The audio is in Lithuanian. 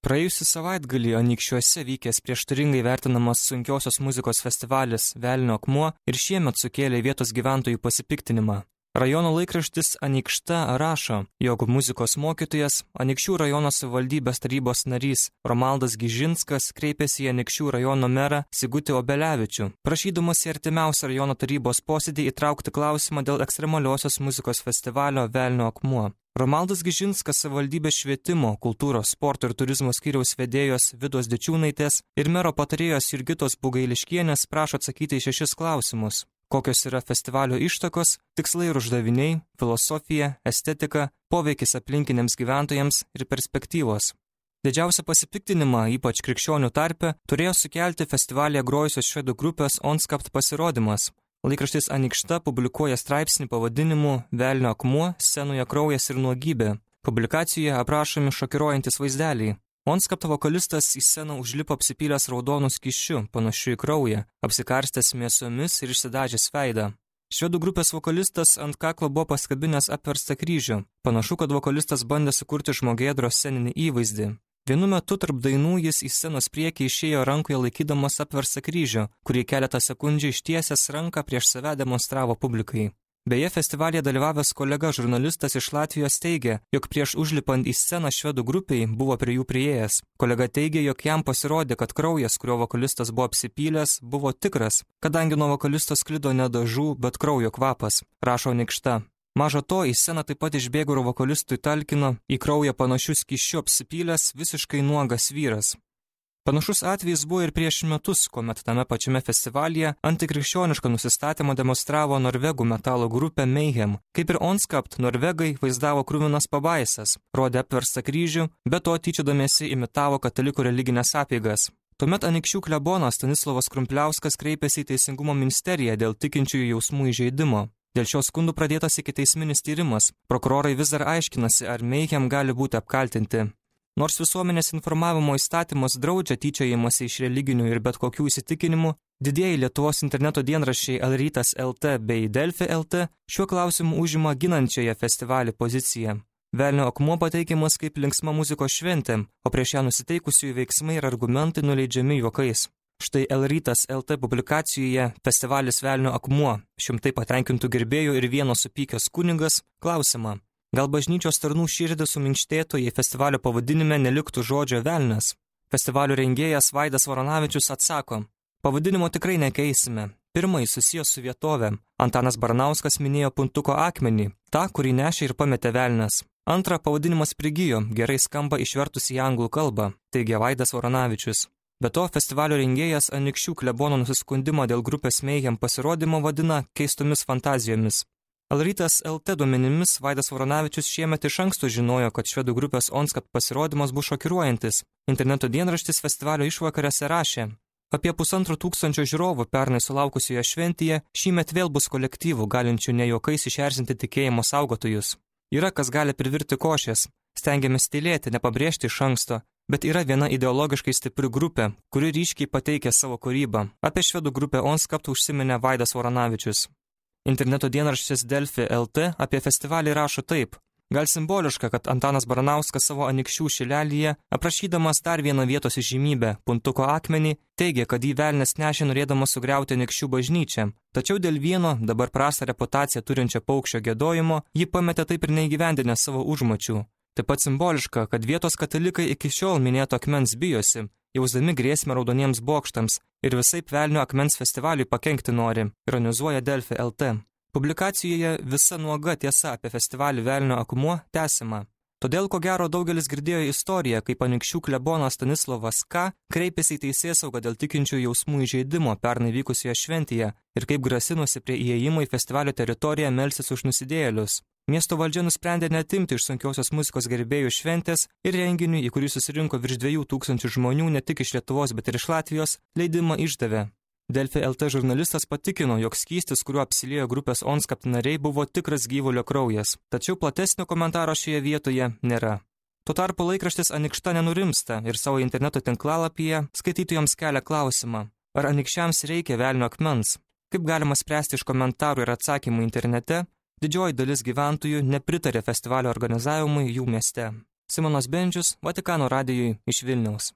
Praėjusį savaitgalį Anykščiuose vykęs prieštaringai vertinamas sunkiosios muzikos festivalis Velnio akmuo ir šiemet sukėlė vietos gyventojų pasipiktinimą. Rajono laikraštis Anykšta rašo, jog muzikos mokytojas, Anykščių rajono savivaldybės tarybos narys Romaldas Gižinskas kreipėsi į Anykščių rajono merą Sigutį Obelevičių, prašydamas į artimiausią rajono tarybos posėdį įtraukti klausimą dėl ekstremaliosios muzikos festivalio Velnio akmuo. Romaldas Gižinskas savivaldybės švietimo, kultūros, sporto ir turizmo skyriaus vedėjos Vidos Dičiūnaitės ir mero patarėjos Jurgitos Bugailiškienės prašo atsakyti į 6 klausimus. Kokios yra festivalio ištakos, tikslai ir uždaviniai, filosofija, estetika, poveikis aplinkiniams gyventojams ir perspektyvos. Didžiausią pasipiktinimą, ypač krikščionių tarpe, turėjo sukelti festivalyje grojusios švedų grupės Onskapt pasirodymas. Laikraštis Anykšta publikuoja straipsnį pavadinimu Velnio akmuo, scenoje kraujas ir nuogybė. Publikacijoje aprašomi šokiruojantis vaizdeliai. Onskapto vokalistas į sceną užlipo apsipylęs raudonų skysčiu, panašiu į kraują, apsikarstęs mėsomis ir išsidažęs veidą. Švedų grupės vokalistas ant kaklo buvo paskabinęs apverstą kryžių. Panašu, kad vokalistas bandė sukurti žmogėdro sceninį įvaizdį. Vienu metu tarp dainų jis į scenos priekį išėjo rankoje laikydamas apverstą kryžių, kurį keletą sekundžių ištiesęs ranką prieš save demonstravo publikai. Beje, festivalyje dalyvavęs kolega žurnalistas iš Latvijos teigė, jog prieš užlipant į sceną švedų grupiai buvo prie jų priėjęs. Kolega teigė, jog jam pasirodė, kad kraujas, kurio vokalistas buvo apsipylęs, buvo tikras, kadangi nuo vokalisto sklido ne dažų, bet kraujo kvapas, rašo Anykšta. Maža to, į sceną taip pat išbėgo ir vokalistui talkino į kraują panašių skysčių apsipylęs visiškai nuogas vyras. Panašus atvejis buvo ir prieš metus, kuomet tame pačiame festivalyje antikrikščionišką nusistatymą demonstravo norvegų metalo grupė Mayhem. Kaip ir Onskapt, norvegai vaizdavo kruvinas pabaisas, rodė apverstą kryžių, be to tyčiodamiesi imitavo katalikų religinės apeigas. Tuomet Anykščių klebonas Stanislovas Krumpliauskas kreipėsi į Teisingumo ministeriją dėl tikinčiųjų jausmų įžeidimo. Dėl šios skundų pradėtas ikiteisminis tyrimas. Prokurorai vis dar aiškinasi, ar Mayhem gali būti apkaltinti. Nors visuomenės informavimo įstatymas draudžia tyčiojimąsi iš religinių ir bet kokių įsitikinimų, didieji Lietuvos interneto dienraščiai Alrytas LT bei Delfi LT šiuo klausimu užima ginančiąją festivalį poziciją. Velnio akmuo pateikiamas kaip linksma muzikos šventė, o prieš ją nusiteikusiųjų veiksmai ir argumentai nuleidžiami juokais. Štai Alrytas LT publikacijoje Festivalis Velnio akmuo, 100 patenkintų gerbėjų ir vienas supykęs kunigas, klausimą. Gal bažnyčios tarnų širdį suminkštėtų, jei festivalio pavadinime neliktų žodžio velnias? Festivalio rengėjas Vaidas Voronavičius atsako, pavadinimo tikrai nekeisime. Pirmąjį susijęs su vietovė. Antanas Baranauskas minėjo Puntuko akmenį, tą, kurį nešė ir pametė velnias. Antra, pavadinimas prigijo, gerai skamba išvertus į anglų kalbą, teigia Vaidas Voronavičius. Be to, festivalio rengėjas Anykščių klebono nusiskundimą dėl grupės Mayhem pasirodymo vadina keistomis fantazijomis. Alrytas LT duomenimis Vaidas Voronavičius šiemet iš anksto žinojo, kad švedų grupės Onskapt pasirodymas bus šokiruojantis. Interneto dienraštis festivalio išvakarėse rašė. Apie 1500 žiūrovų pernai sulaukusioje šventėje šįmet vėl bus kolektyvų, galinčių ne juokais išerzinti tikėjimo saugotojus. Yra kas gali privirti košės. Stengiamės tylėti, nepabrėžti iš anksto. Bet yra viena ideologiškai stipri grupė, kuri ryškiai pateikė savo kūrybą. Apie švedų grupę Onskapt užsiminė Vaidas Voronavičius. Interneto dienraštis Delfi LT apie festivalį rašo taip. Gal simboliška, kad Antanas Baranauskas savo Anykščių šilelyje, aprašydamas dar vieną vietos įžymybę, Puntuko akmenį, teigė, kad jį velnias nešė norėdamas sugriauti Anykščių bažnyčią. Tačiau dėl vieno, dabar prastą reputaciją turinčio paukščio giedojimo, jį pametė taip ir neįgyvendinę savo užmačių. Taip pat simboliška, kad vietos katalikai iki šiol minėto akmens bijosi, jausdami grėsmę raudoniems bokštams ir visaip velnio akmens festivaliui pakenkti nori, ironizuoja Delfi LT. Publikacijoje visa nuoga tiesa apie festivalį Velnio akmuo tęsiama. Todėl, ko gero, daugelis girdėjo istoriją, kaip Anykščių klebonas Stanislovas K. kreipėsi į teisėsaugą dėl tikinčių jausmų įžeidimo pernai vykusioje šventėje ir kaip grasinusi prie įėjimo į festivalio teritoriją melsis už nusidėjėlius. Miesto valdžia nusprendė neatimti iš sunkiosios muzikos gerbėjų šventės ir renginiui, į kurį susirinko virš 2000 žmonių ne tik iš Lietuvos, bet ir iš Latvijos, leidimą išdavė. Delfi LT žurnalistas patikino, jog skystis, kuriuo apsiliejo grupės Onskapt nariai, buvo tikras gyvulio kraujas. Tačiau platesnio komentaro šioje vietoje nėra. Tuo tarpu laikraštis Anykšta nenurimsta ir savo interneto tinklalapyje skaitytojams kelia klausimą. Ar anykščiams reikia velnio akmens? Kaip galima spręsti iš komentarų ir atsakymų internete, didžioji dalis gyventojų nepritarė festivalio organizavimui jų mieste. Simonas Bendžius, Vatikano radijui iš Vilniaus.